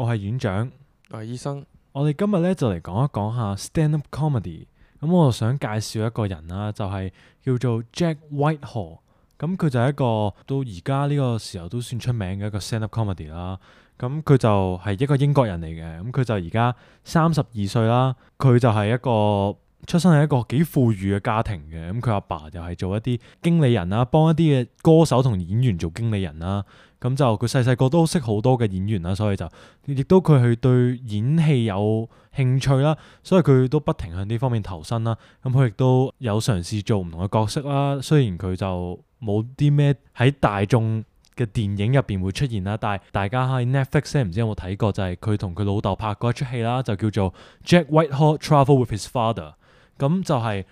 我係院長，我係醫生。我哋今日咧就嚟講一講下 stand-up comedy。咁我想介紹一個人啦，就係叫做 Jack Whitehall。咁佢就係一個到而家呢個時候都算出名嘅一個 stand-up comedy 啦。咁佢就係一個英國人嚟嘅，咁佢就而家32歲啦。佢就係一個出生喺一個幾富裕嘅家庭嘅，咁佢阿爸就係做一啲經理人啦，幫一啲嘅歌手同演員做經理人啦。咁就佢細細個都識好多嘅演員啦，所以就亦都佢係對演戲有興趣啦，所以佢都不停向呢方面投身啦。咁佢亦都有嘗試做唔同嘅角色啦。雖然佢就冇啲咩喺大眾嘅電影入邊會出現啦，但係大家喺 Netflix 咧唔知有冇睇過，就係佢同佢老豆拍過一出戲啦，就叫做 Jack Whitehall Travel with His Father。咁就係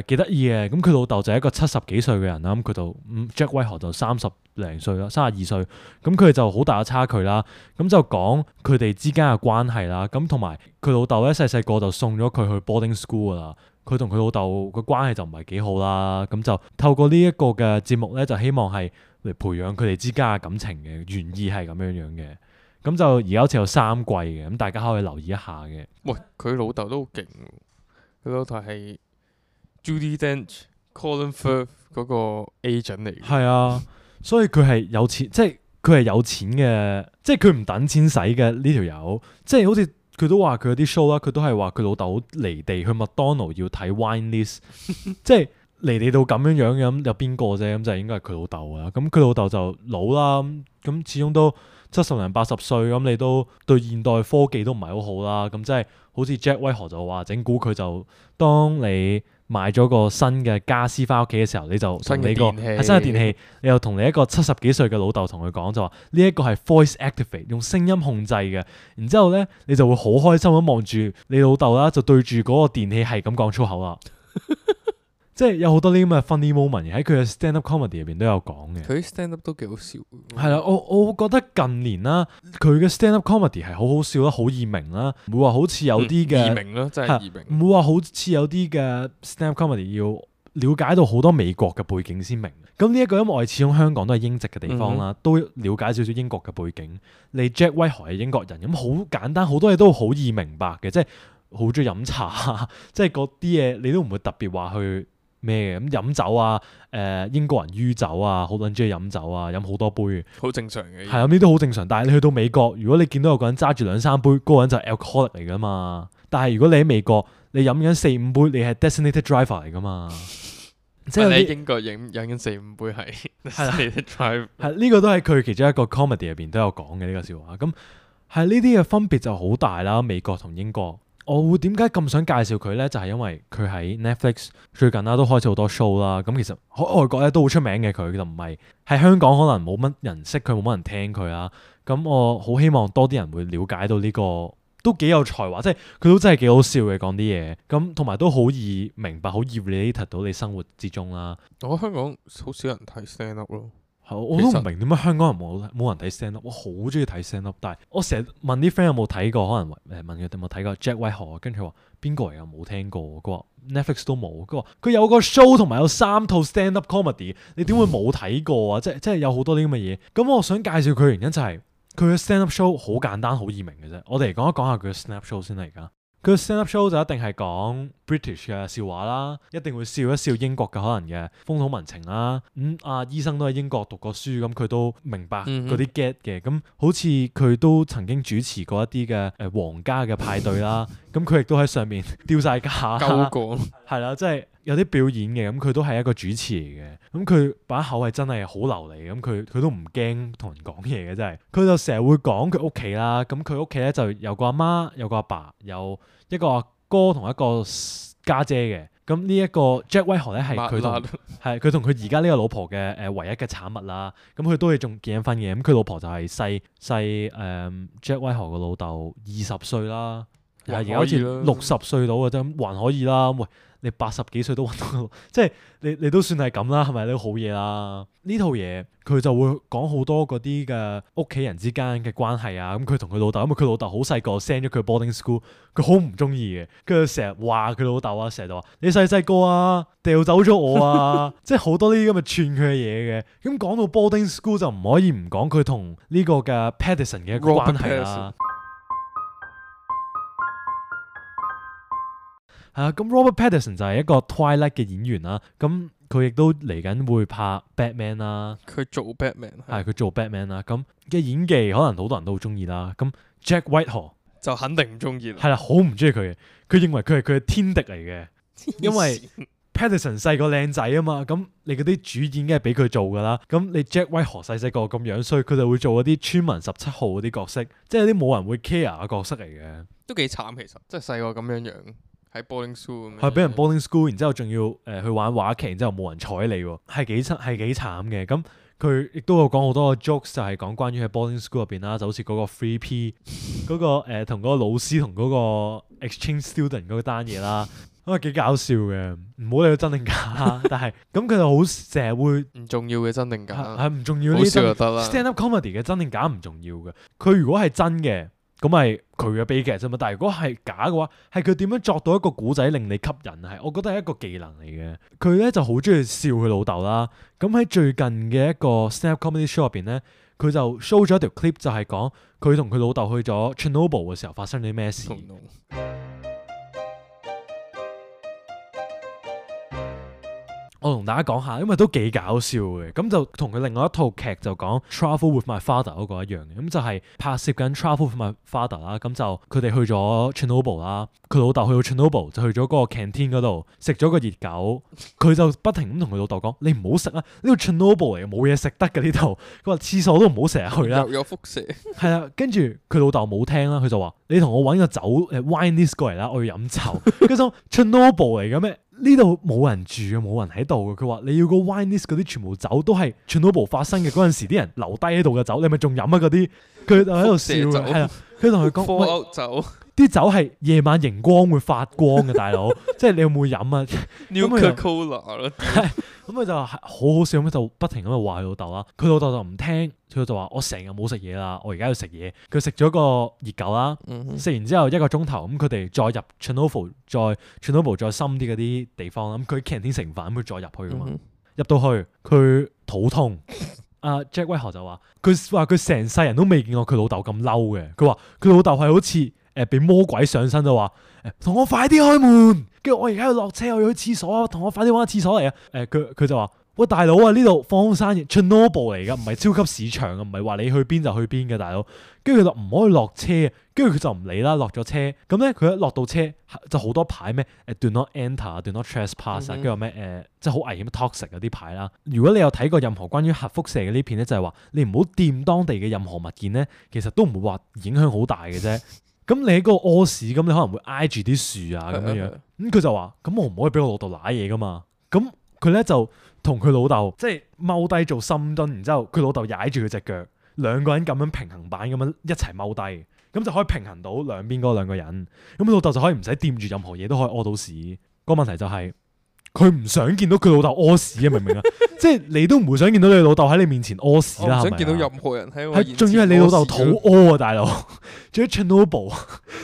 幾得意嘅。咁佢老豆就係一個70幾歲嘅人啦，咁佢就Jack Whitehall就30零歲啦，32歲。咁佢哋就好大嘅差距啦。咁就講佢哋之間嘅關係啦。咁同埋佢老豆咧細細個就送咗佢去 boarding school 噶啦。佢同佢老豆個關係就唔係幾好啦。咁就透過呢一個嘅節目咧，就希望係嚟培養佢哋之間嘅感情嘅，原意係咁樣樣嘅。咁就而家好似有3季嘅，咁大家可以留意一下嘅。喂，佢老豆都好勁喎，佢老豆係 Judi Dench、Colin Firth 嗰個 agent 嚟嘅。係啊，所以佢係有錢，即係佢係有錢嘅，即係佢唔等錢使嘅呢條友。即係好似佢都話佢有啲 show 啦，佢都係話佢老豆好離地，去麥當勞要睇 wine list，即係離地到咁樣樣嘅。咁有邊個啫？咁就應該係佢老豆啊。咁佢老豆就老啦，咁始終都70零80歲，咁你都對現代科技都唔係好好啦。咁即係好似 Jack Whitehall就話整蠱佢，就當你買咗個新嘅家私翻屋企嘅時候，你就同你個係新嘅電器，你又同你一個70幾歲嘅老豆同佢講，就話呢一個係 voice activate， 用聲音控制嘅。然之後咧，你就會好開心咁望住你老豆啦，就對住嗰個電器係咁講粗口啦。即係有好多呢啲咁嘅 funny moment 喺佢嘅 stand up comedy 入邊都有講嘅。佢啲 stand up 都幾好笑。係啦，我覺得近年啦，佢嘅 stand up comedy 係好好笑啦，好易明啦，唔會話好似有啲嘅易明咯，真係易明。唔會話好似有啲嘅 stand up comedy 要了解到好多美國嘅背景先明。咁呢一個因為我哋始終香港都係英籍嘅地方啦，都了解少少英國嘅背景。你 Jack Whitehall 係英國人，咁好簡單，好多嘢都好易明白嘅，即係好中意飲茶，即係嗰啲嘢你都唔會特別話去咩嘅。咁飲酒啊，英國人酗酒啊，好多人中意飲酒啊，飲好多杯，好正常嘅。係啊，呢啲都好正常。但係你去到美國，如果你見到有個人揸住2-3杯，嗰個人就係 alcoholic 嚟噶嘛。但係如果你喺美國，你飲緊4-5杯，你係 designated driver 嚟噶嘛。即係你喺英國飲緊4-5杯係 designated driver。係呢個都係佢其中一個 comedy 入邊都有講嘅呢個笑話。咁係呢啲嘅分別就好大啦，美國同英國。我會點解咁想介紹佢呢？就係因為佢喺 Netflix 最近啦都開始好多 show 啦。咁其實喺外國咧都好出名嘅，佢就唔係喺香港可能冇乜人識佢，冇乜人聽佢啦。咁我好希望多啲人會了解到呢個都幾有才華，即係佢都真係幾好笑嘅講啲嘢。咁同埋都好易明白，好易 relate 到你生活之中啦。我覺得香港好少人睇 stand up 咯。我都唔明點解香港人冇人睇 stand up，我好中意睇 stand up，但係我成日問啲 friend 有冇睇過，可能問佢有冇睇過 Jack Whitehall，跟住佢話邊個嚟啊？冇聽過，佢話 Netflix 都冇，佢話佢有個 show 同埋有3套 stand up comedy， 你點會冇睇過啊？即係有好多啲咁嘅嘢。咁我想介紹佢嘅原因就係佢嘅 stand up show 好簡單好易明嘅啫。我哋嚟講一講下佢嘅 stand up show 先啦。而家佢嘅 stand up show 就一定係講 British 嘅笑話啦，一定會笑一笑英國嘅可能嘅風土民情啦。醫生都喺英國讀過書，咁佢都明白嗰啲 get 嘅。咁好似佢都曾經主持過一啲嘅皇家嘅派對啦，咁佢亦都喺上面丟晒架，鳩過係啦，即係有啲表演嘅。咁佢都係一個主持嚟嘅，咁佢把口係真係好流利，咁佢都唔驚同人講嘢嘅，真係。佢就成日會講佢屋企啦，咁佢屋企咧就有個阿媽，有個阿爸，有一個阿哥同一個家姐嘅。咁呢一個 Jack Whitehall 咧係佢同佢而家呢個老婆嘅唯一嘅產物啦。咁佢都係仲結緊婚嘅。咁佢老婆就係細 Jack Whitehall 個老豆20歲啦，而家好似60歲到嘅啫，還可以啦。喂，你80幾歲都揾到，即係你都算係咁啦，係咪？你都好嘢啦。呢套嘢佢就會講好多嗰啲嘅屋企人之間嘅關係啊。咁佢同佢老豆，因為佢老豆好細個 send 咗佢 boarding school， 佢好唔中意嘅。跟住成日話佢老豆啊，成日就話你細個啊掉走咗我啊，即係好多呢啲咁嘅串佢嘅嘢嘅。咁講到 boarding school 就唔可以唔講佢同呢個嘅 Patterson 嘅一個關係啦。係啊，咁 Robert Pattinson 就係一個 Twilight 嘅演員啦，咁佢亦都嚟緊會拍 Batman 啦，佢做 Batman 係佢做 Batman 啦，咁嘅演技可能好多人都好中意啦。咁 Jack Whitehall 就肯定唔中意啦。係啦，好唔中意佢嘅，佢認為佢係佢嘅天敵嚟嘅，因為 Pattinson 細個靚仔啊嘛，咁你嗰啲主演梗係俾佢做噶啦，咁你 Jack Whitehall 細細個咁樣衰，佢就會做嗰啲村民17號嗰啲角色，即係啲冇人會 care 嘅角色嚟嘅。都幾慘其實，即係細個咁樣喺 boarding school 咁樣。係俾人 boarding school，然之後仲要去玩話劇，然之後冇人睬你喎，係幾慘嘅。咁佢亦都有講好多個 jokes，就係講關於喺 boarding school 入邊啦，就好似嗰個 free P 嗰個同嗰個老師同嗰個 exchange student 嗰單嘢啦。幾搞笑嘅，唔好理佢真定假，但係咁佢就好成日會唔重要嘅真定假，係唔重要呢好啲笑就得啦。stand up comedy 嘅真定假唔重要嘅，佢如果係真嘅，咁咪佢嘅悲劇啫嘛。但係如果係假嘅話，係佢點樣作到一個古仔令你吸引，係我覺得係一個技能嚟嘅。佢咧就好中意笑佢老豆啦。咁喺最近嘅一個 stand up comedy show 入邊咧，佢就 show 咗一條 clip，就係講佢同佢老豆去咗 Chernobyl 嘅時候發生咗啲咩事。我同大家講下，因為都幾搞笑嘅，咁就同佢另外一套劇就講 Travel with My Father 嗰個一樣嘅，咁就係拍攝緊 Travel with My Father 啦，咁就佢哋去咗 Chernobyl 啦，佢老豆去到 Chernobyl 就去咗嗰個 canteen 嗰度食咗個熱狗，佢就不停咁同佢老豆講：你唔好食啊，呢度 Chernobyl 嚟嘅，冇嘢食得嘅呢度。佢話廁所都唔好成日去啦。又有輻射。係啊，跟住佢老豆冇聽啦，佢就話：你同我揾個酒wine list 過嚟啦，我要飲酒。跟住 Chernobyl 嚟嘅咩？呢度冇人住啊，冇人喺度嘅。佢話你要個 wine list 嗰啲全部酒都係 Chernobyl 發生嘅嗰陣時啲人留低喺度嘅酒，你咪仲飲啊嗰啲？佢就喺度笑嘅，係啊，佢同佢講：喂，酒啲酒係夜晚熒光會發光嘅，大佬，即係你有冇飲啊 ？Nuka Cola 咯。咁佢就係好好笑咁，就不停咁就話佢老豆啦。佢老豆就唔聽，佢就話：我成日冇食嘢啦，我而家要食嘢。佢食咗個熱狗啦，食完之後1個鐘頭，咁佢哋再入 Chernobyl 再深啲嗰啲地方，咁佢 canteen 食完飯，咁佢再入去噶嘛。入到去佢肚痛，阿 Jack Whitehall 就話：佢成世人都未見過佢老豆咁嬲嘅。佢話佢老豆係好似俾魔鬼上身，就話同我快啲開門，跟住我而家要落車，我要去廁所，同我快啲揾個廁所嚟啊！佢就話：喂，大佬啊，呢度荒山野 Chernobyl 嚟噶，唔係超級市場啊，唔係話你去邊就去邊嘅，大佬。跟住佢就唔可以落車，跟住佢就唔理啦，落咗車。咁咧佢一落到車就好多牌咩？Do not enter，do not trespass，跟住咩即係好危險 toxic 嗰啲牌啦。如果你有睇過任何關於核輻射嘅呢片咧，就係話你唔好掂當地嘅任何物件咧，其實都唔會話影響好大嘅啫。咁你喺嗰個屙屎，咁你可能會挨住啲樹啊咁樣。咁佢就話：咁我唔可以俾我老豆舐嘢噶嘛。咁佢咧就同佢老豆即係踎低做深蹲，然之後佢老豆踩住佢隻腳，兩個人咁樣平衡板咁樣一齊踎低，咁就可以平衡到兩邊嗰兩個人。咁老豆就可以唔使掂住任何嘢都可以屙到屎。個問題就係佢唔想見到佢老豆屙屎啊，明唔明啊？即係你都唔會想見到你老豆喺你面前屙屎啦，係咪啊？唔想見到任何人喺我面前屙屎。仲要係你老豆肚屙啊，大佬！仲要 Chernobyl，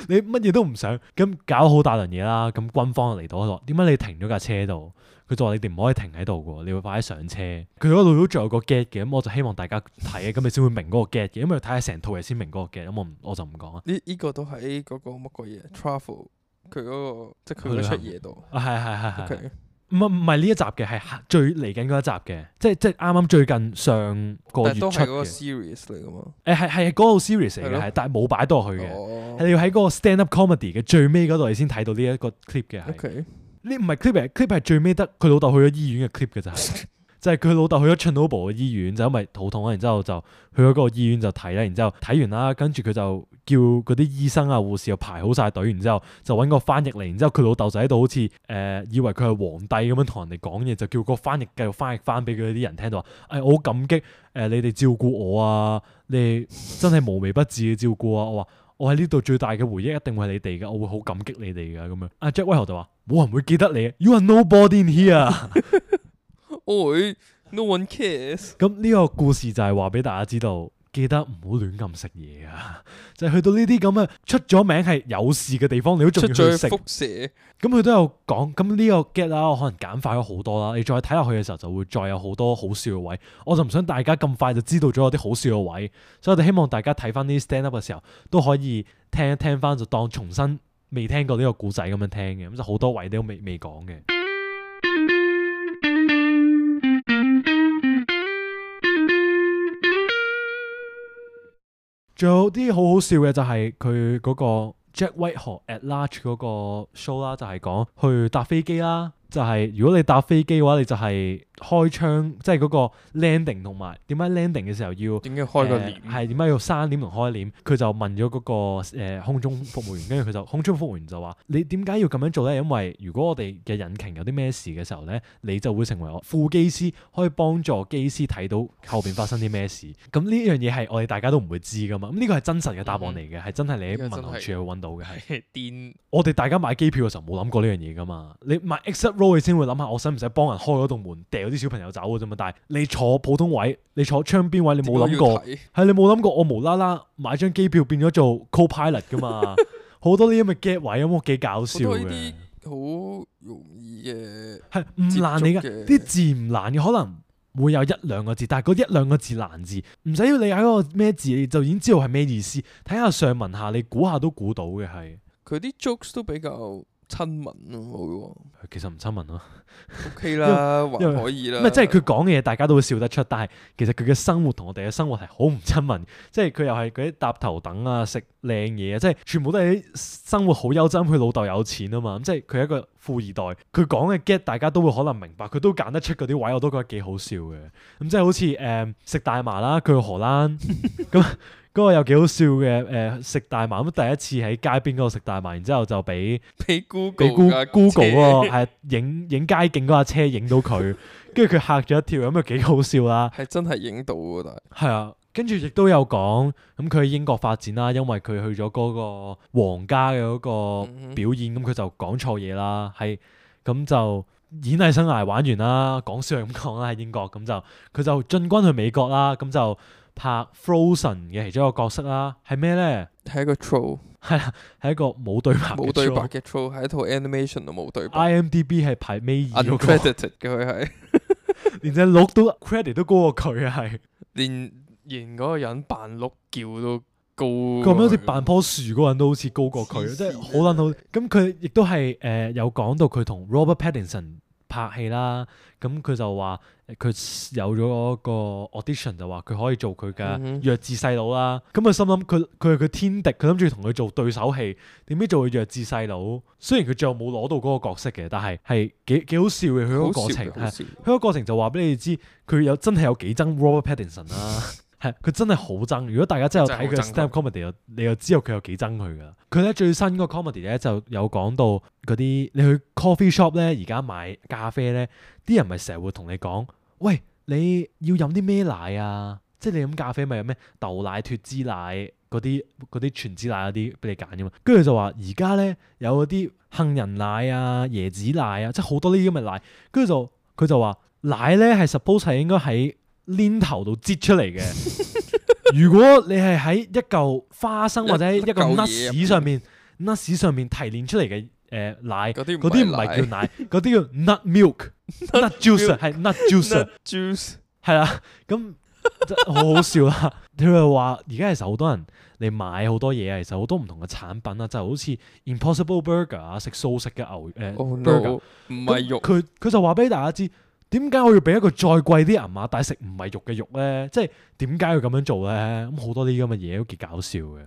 你乜嘢都唔想，咁搞好大輪嘢啦。咁軍方就嚟到咗，點解你停咗架車度？佢就話你哋唔可以停喺度嘅，你要快啲上車。佢嗰度都仲有個 get 嘅，咁我就希望大家睇，咁你先會明嗰個 get 嘅，因為睇下成套嘢先明嗰個 get。咁我就唔講啦。呢個都喺嗰個乜鬼嘢 travel 佢嗰個即係佢嗰出嘢度。係。唔係呢一集嘅，係最嚟緊嗰一集嘅，即係啱啱最近上個月出嘅。但係都係嗰個 series 嚟噶嘛？係嗰個 series 嚟嘅，係，但係冇擺到落去嘅。係你要喺嗰個 stand up comedy 嘅最尾嗰度，你先睇到呢一個 clip 嘅。係。呢唔係 clip 嚟 ，clip 係最尾得佢老豆去咗醫院嘅 clip 嘅就係。就係佢老豆去咗 Chernobyl 嘅醫院，就因為肚痛啊，然之後就去咗嗰個醫院就睇啦，然之後睇完啦，跟住佢就叫嗰啲醫生啊護士又排好晒隊，然之後就揾個翻譯嚟，然之後佢老豆就喺度好似以為佢係皇帝咁樣同人哋講嘢，就叫個翻譯繼續翻譯翻俾佢啲人聽到話，我好感激你哋照顧我啊，你哋真係無微不至嘅照顧啊，我喺呢度最大嘅回憶一定會係你哋嘅，我會好感激你哋嘅咁樣。阿 Jack Whitehall 就話冇人會記得你 ，You are nobody in here。No one cares。咁呢個故事就係話俾大家知道，記得唔好亂咁食嘢啊！就係去到呢啲咁嘅出咗名係有事嘅地方，你都仲要去食。輻射。咁佢都有講，咁呢個 get 啦，我可能簡化咗好多啦。你再睇落去嘅時候，就會再有好多好笑嘅位。我就唔想大家咁快就知道咗有啲好笑嘅位，所以我哋希望大家睇翻呢啲 stand up 嘅時候，都可以聽一聽翻，就當重新未聽過呢個故仔咁樣聽嘅，咁就好多位都未講嘅。仲有啲好好笑嘅就係佢嗰個 Jack Whitehall at Large 嗰個 show 啦，就係講去搭飛機啦。就係如果你搭飛機嘅話，你就係開窗，即係嗰個 landing 同埋點解 landing 嘅時候要點解開個簾？係點解要閂簾同開簾？佢就問咗嗰個空中服務員，跟住佢就空中服務員就話：你點解要咁樣做咧？因為如果我哋嘅引擎有啲咩事嘅時候咧，你就會成為我副機師，可以幫助機師睇到後邊發生啲咩事。咁呢樣嘢係我哋大家都唔會知噶嘛。咁呢個係真實嘅答案嚟嘅，係真係你喺民航處去揾到嘅。係癲！我哋大家買機票嘅時候冇諗過呢樣嘢噶嘛。你買 exit row 你先會諗下，我使唔使幫人開嗰棟門，掉啲小朋友走嘅啫嘛。但係你坐普通位，你坐窗邊位，你冇諗過，係你冇諗過我無啦啦買張機票變咗做 co-pilot 噶嘛。好多呢啲咁嘅 get 位，咁我幾搞笑嘅。好容易嘅，係唔難嚟㗎，啲字唔難嘅，可能會有一兩個字，但係嗰一兩個字難字，唔使要你喺嗰個咩字，你就已經知道係咩意思。睇下上文下，你估下都估到嘅係。佢啲 jokes 都比較親民咯，其實唔親民咯。OK 啦，還可以啦。唔係即係佢講嘅嘢，大家都會笑得出，但係其實佢嘅生活同我哋嘅生活係好唔親民。即係佢又係嗰啲搭頭等啊、食靚嘢啊，即係全部都係啲生活好優質。佢老豆有錢啊嘛，咁即係佢係一個富二代。佢講嘅 get 大家都會可能明白，佢都揀得出嗰啲位，我都覺得幾好笑嘅。咁即係好似食大麻啦，佢去荷蘭咁。嗰個又幾好笑嘅，食大麻咁第一次喺街邊嗰度食大麻，然之後就俾 Google 嗰個係影街景嗰架車影到佢，跟住佢嚇咗一跳，咁又幾好笑啦。係真係影到喎，但係係啊，跟住亦都有講咁佢喺英國發展啦，因為佢去咗嗰個皇家嘅嗰個表演，咁佢就講錯嘢啦，係咁就演藝生涯玩完啦，講笑係咁講啦喺英國，咁就佢就進軍去美國啦，咁就拍 Frozen 嘅其中一個角色啦，係咩咧？係一個 troll， 係啊，係一個冇對白嘅 troll， 係一套 animation 都冇對白。IMDB 係排尾二嗰個 uncredited 嘅佢係，連隻鹿都 credit 都高過佢啊，係連嗰個人扮鹿叫都高。咁樣好似扮棵樹嗰個人都好似高過佢，即係好撚好。咁佢亦都係有講到佢同 Robert Pattinson 拍戲啦，咁佢就話佢有咗嗰個 audition 就話佢可以做佢嘅弱智細佬啦。咁佢心諗佢係佢天敵，佢諗住同佢做對手戲，點知做佢弱智細佬。雖然佢最後冇攞到嗰個角色嘅，但係幾好笑嘅佢嗰個過程。佢個過程就話俾你知，佢真係有幾憎 Robert Pattinson 啦。係，佢真係好憎。如果大家真係有睇佢 stand up comedy，你又知道佢有幾憎佢噶。佢咧最新個 comedy 咧就有講到嗰啲你去 coffee shop 咧，而家買咖啡咧，啲人咪成日會同你講，喂，你要飲啲咩奶啊？即係你飲咖啡咪有咩豆奶、脫脂奶嗰啲全脂奶嗰啲俾你揀噶嘛。跟住就話而家咧有嗰啲杏仁奶啊、椰子奶啊，即係好多呢啲咁嘅奶。跟住佢就話奶咧係 suppose 係應該喺鏈頭度擠出嚟嘅。如果你係喺一嚿花生或者一個 nuts 上面提煉出嚟嘅奶，嗰啲唔係叫奶，嗰啲叫 nut milk、nut juice 係 nut juice，係啦，咁好好笑啦。佢又話而家其實好多人你買好多嘢啊，其實好多唔同嘅產品啊，就好似 Impossible Burger 啊，食素食嘅牛burger，唔係肉。佢就話俾大家知。點解我要俾一個再貴啲銀碼，但係食唔係肉嘅肉咧？即係點解要咁樣做咧？咁好多啲咁嘅嘢都幾搞笑嘅。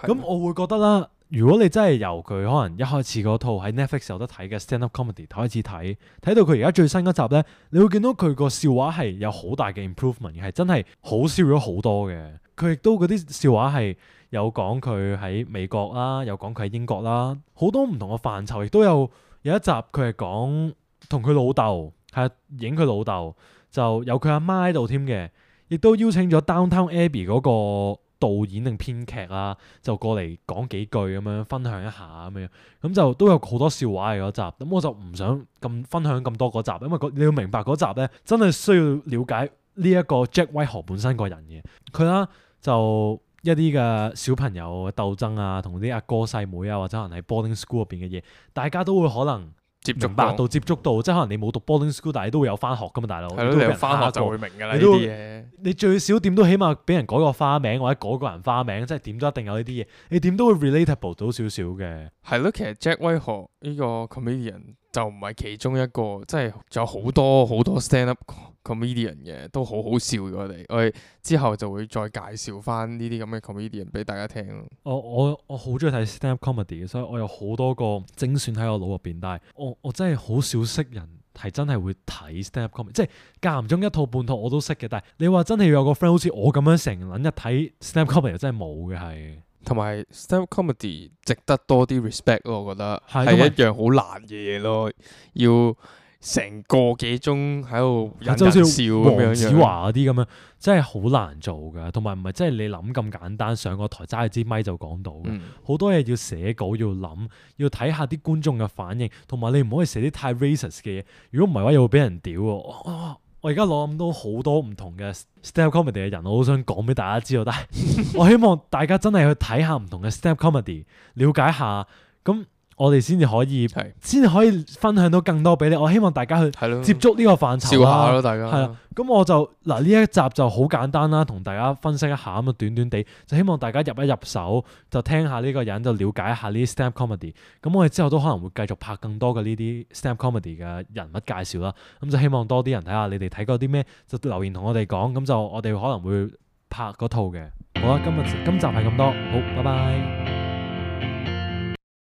咁我會覺得啦，如果你真係由佢可能一開始嗰套喺 Netflix 有得睇嘅 stand up comedy 開始睇到佢而家最新嗰集咧，你會見到佢個笑話係有好大嘅 improvement，係真係好笑咗好多嘅。佢亦都嗰啲笑話係有講佢喺美國啦，有講佢喺英國啦，好多唔同嘅範疇，亦都有一集佢係講同佢老豆。係影佢老豆，就有佢阿媽喺度添嘅，亦都邀請咗 Downtown Abbey 嗰個導演定編劇啦，就過嚟講幾句咁樣分享一下咁樣，咁就都有好多笑話嘅嗰集。咁我就唔想咁分享咁多嗰集，因為你要明白嗰集咧，真係需要了解呢一個 Jack Whitehall 本身個人嘅。佢啦就一啲嘅小朋友鬥爭啊，同啲阿哥細妹啊，或者可能喺 boarding school 入邊嘅嘢，大家都會可能接觸明白到接觸到，即係可能你冇讀 boarding school，但係你都會有翻學噶嘛，大佬。係咯，你有翻學就會明㗎啦呢你都啲嘢。你最少點都起碼俾人改個花名或者改個人花名，即係點都一定有呢啲嘢。你點都會 relatable 到少少嘅。係咯，其實 Jack Whitehall 呢個 comedian 就唔係其中一個，即係仲有好多好多 stand up comedian 嘅，都好好笑嘅。我哋之後就會再介紹翻呢啲咁嘅 comedian 俾大家聽咯。我好中意睇 stand up comedy 嘅，所以我有好多個精選喺我腦入邊，但係我真係好少識人係真係會睇 stand up comedy，即係間唔中一套半套我都識嘅，但係你話真係要有個 friend 好似我咁樣成撚日睇 stand up comedy 真係冇嘅係。同埋 stand up comedy 值得多啲 respect 咯，我覺得係係一樣好難嘅嘢咯，要成個幾鐘喺度引人笑咁樣黃子樣。華嗰啲咁樣，真係好難做㗎，同埋唔係真係你諗咁簡單，上個台揸支咪就講到嘅，好多嘢要寫稿，要諗，要睇下啲觀眾嘅反應，同埋你唔可以寫啲太 racist 嘅嘢，如果唔係嘅話又會俾人屌喎。我而家諗到好多唔同嘅 stand up comedy 嘅人，我好想講俾大家知道，但係我希望大家真係去睇下唔同嘅 stand up comedy，了解下，咁我哋先至可以分享到更多俾你。我希望大家去接觸呢個範疇笑下咯，大家。係啦，咁我就嗱呢一集就好簡單啦，同大家分析一下咁啊，短短地就希望大家入手，就聽下呢個人，就了解一下呢啲 stand up comedy。咁我哋之後都可能會繼續拍更多嘅呢啲 stand up comedy 嘅人物介紹啦。咁就希望多啲人睇下，你哋睇過啲咩就留言同我哋講，咁就我哋可能會拍嗰套嘅。好啦，今集係咁多，好，拜拜。